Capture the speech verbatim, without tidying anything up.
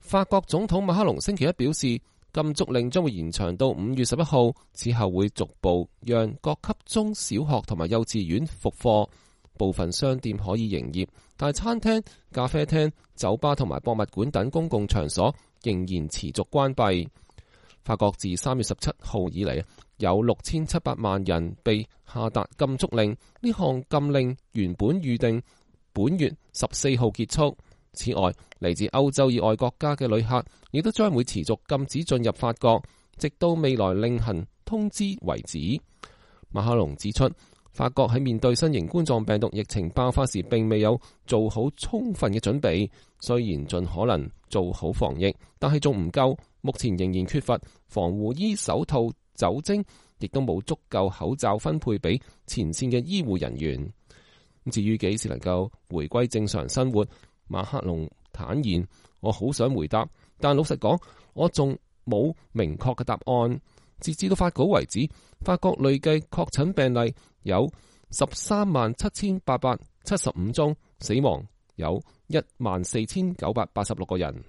法國總統馬克龍星期一表示，禁足令將會延長到五月十一號，此後會逐步讓各級中小學同埋幼稚園復課，部分商店可以營業，但係餐廳、咖啡廳、酒吧同埋博物館等公共場所仍然持續關閉。法國自三月十七號以嚟，有六千七百萬人被下達禁足令，呢項禁令原本預定本月十四號結束。此外，嚟自歐洲以外國家嘅旅客亦都將會持續禁止進入法國，直到未來另行通知為止。馬克龍指出，法國喺面對新型冠狀病毒疫情爆發時並未有做好充分嘅準備，雖然盡可能做好防疫，但係仲唔夠，目前仍然缺乏防護衣、手套、酒精，亦都冇足夠口罩分配俾前線嘅醫護人員。至於幾時能夠回歸正常生活，馬克龍坦言，我好想回答，但老實講，我仲冇明確嘅答案。截至到發稿為止，法國累計確診病例有十三萬七千八百七十五宗，死亡有一萬四千九百八十六個人。